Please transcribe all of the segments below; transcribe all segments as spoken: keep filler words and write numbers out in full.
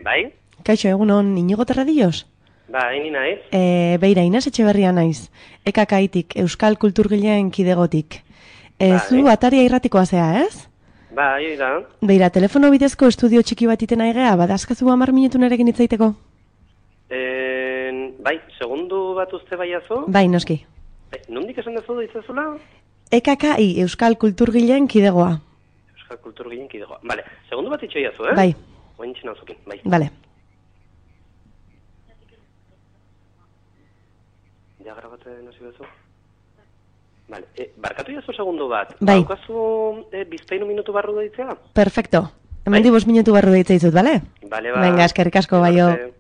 Bai? Kaixo, egunon, Inigo Terradillos? Bai, ni naiz. E, beira, Inez Etxeberria naiz. Ekakaitik, Euskal Kulturgileen kidegotik. E, Bai. Zu ataria irratikoa zea, ez? Bai, da. Beira, telefono bidezko estudio txiki bat iten aigea, badazkazu hamar minutu nerekin hitzaiteko? En, bai, segundu bat uste baiazu? Bai, noski. Bai, nondik esan dezu ditzazula? E K K I, Euskal Kulturgileen kidegoa. Euskal Kulturgileen kidegoa. Vale, segundu bat itxoiazu, eh? Bai. Oin txena zukin, bai. Vale. Ja grabatzen hasi bezu? Vale, e, barkatu jazu segundu bat. Bai. Baukazu e, bizpainu minutu barru deitzea? Perfecto. Hemen Bai. dibos minutu barru deitza izut, bale? Bale, ba. Venga, eskerrik asko, baio. Arte.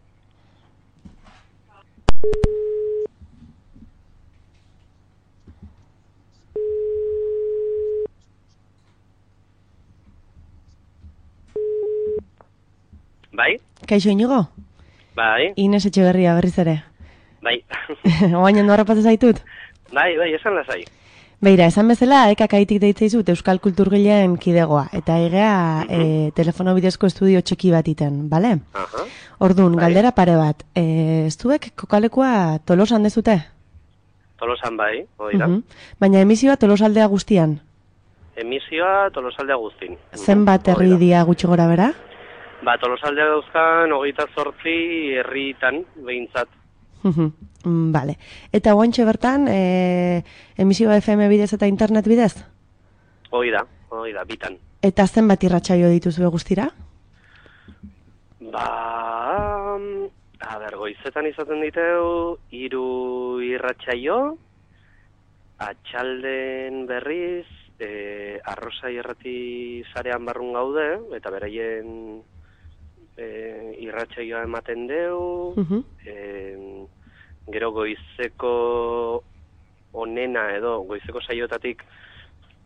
Bai? Kaixo, Inigo? Bai? Inez Etxeberria berriz ere. Bai. Oain ondo harrapatzen zaitut? Bai, bai, esan lasai. Beira, esan bezala, ekakaitik deitza izut Euskal Kulturgileen kidegoa, eta egea e, telefono bidezko estudio txiki bat iten, bale? Aha. Orduan, Bai. galdera pare bat, e, ez duek kokalekua Tolosan dezute? Tolosan bai, hori da. Mhm. Baina emisioa Tolosaldea guztian, Emisioa Tolosaldea guztin. zenbat Hori herri da. dia gutxi gora bera? Ba, Tolosaldea dauzkan, hogeita zortzi herritan, behintzat. Mhm. Mm, Bale. Eta oantxe bertan, e, emisioa F M bidez eta internet bidez? Hori da, hori da, bitan. Eta zenbat irratsaio dituzue guztira? Ba, a ber, goizetan izaten diteu, hiru irratsaio, atxalden berriz, e, arrosa irrati sarean barrun gaude, eta beraien e, irratsaioa ematen deu, Mhm. e, gero goizeko onena edo goizeko saiotatik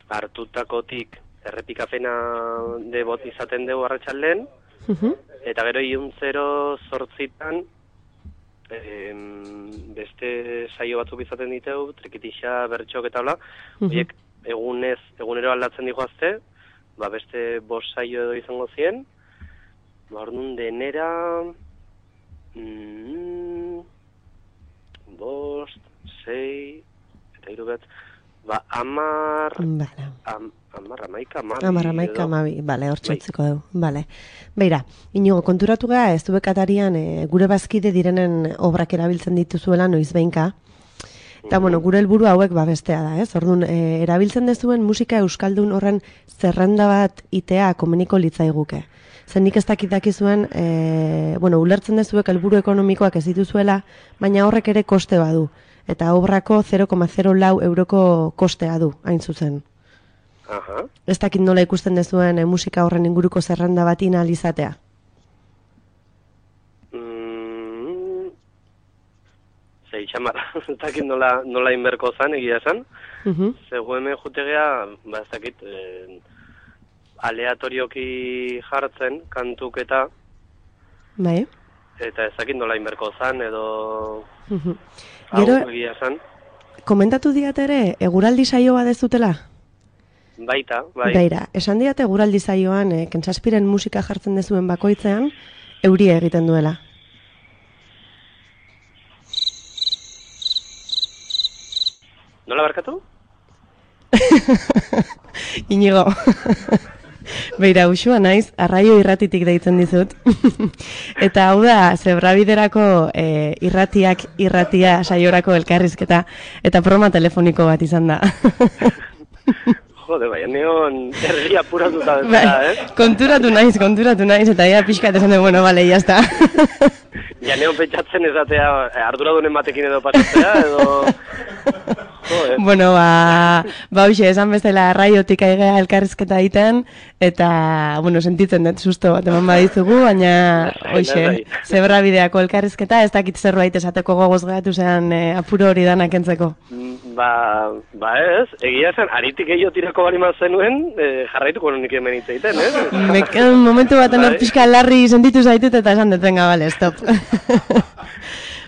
hartutakotik errepikapena de bot izaten dugu arratsalden, Mhm. eta gero iluntzero zortzitan em, beste saio batzuk izaten diteu, trikitixa, bertxok eta hola, Mhm. horiek egunez, egunero aldatzen dihoazte, ba beste bost saio edo izango zien, ba orduan denera mm, bost, sei, eta hiru bet, ba amar, Bale. am, amar, amaika, amabi, Amar, amaika, edo. amabi, bale, hor Bai. txotzeko dugu, bale. Beira, Inigo, konturatu gara, ez dubek atarian e, gure bazkide direnen obrak erabiltzen dituzuela noiz behinka, eta, bueno, gure helburu hauek babestea da, ez? Orduan, e, erabiltzen dezuen musika euskaldun horren zerrenda bat itea komeniko litzaiguke. Zen nik ez dakit dakizuen, e, bueno, ulertzen dezuek helburu ekonomikoak ez dituzuela, baina horrek ere koste badu. Eta obrako zero koma zero lau euroko kostea du, hain zuzen. Aha. Ez dakit nola ikusten dezuen e, musika horren inguruko zerrenda bat inalizatea. Mm, Zei, txamar, ez dakit nola, nola inberko zan, egia esan. Mhm. Zego hemen jutegea, ba ez dakit, eh, aleatorioki jartzen, kantuk eta, Bai. eta ez dakit nola inberko zan, edo Mhm. hau Gero, egia esan. komentatu diat ere, eguraldi saio bat ez dutela? Baita, bai. Beira, esan diate eguraldi saioan, e, Kentsaspiren musika jartzen dezuen bakoitzean, euria egiten duela. Nola barkatu? Inigo. Beira, usua naiz, arraio irratitik deitzen dizut. Eta hau da, zebrabiderako e, irratiak irratia saiorako elkarrizketa, eta broma telefoniko bat izan da. Jode, bai, neon erria apuratuta Bai, bezala, eh? konturatu naiz, konturatu naiz, eta ea pixkat esan de, bueno, bale, jazta. Ja neon pentsatzen ezatea arduradunen batekin edo pasatzea, edo... Jode. Bueno, ba, ba hoxe, esan bezala raiotik aigea elkarrizketa egiten, eta, bueno, sentitzen dut susto bat eman badizugu, baina, hoxe, Lasai. zebrabideako elkarrizketa, ez dakit zerbait esateko gogoz gehatu zean e, apuro hori danak entzeko. Ba, ba ez, egia esan, aritik gehiago tirako bali zenuen, e, jarraituko honik hemen hitz egiten, eh? Mek, momentu baten hor Bai. pixka larri sentitu zaitut eta esan dut, venga, bale, stop.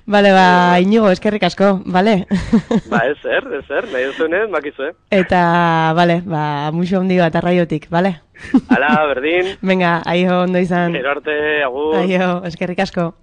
Bale, ba, Inigo, eskerrik asko, bale? Ba, ez er, ez er, nahi duzunez, makizue. Eta, bale, ba, muxo hondi bat arraiotik, bale? Ala, berdin. Venga, aio, ondo izan. Gero arte, agur. Aio, eskerrik asko.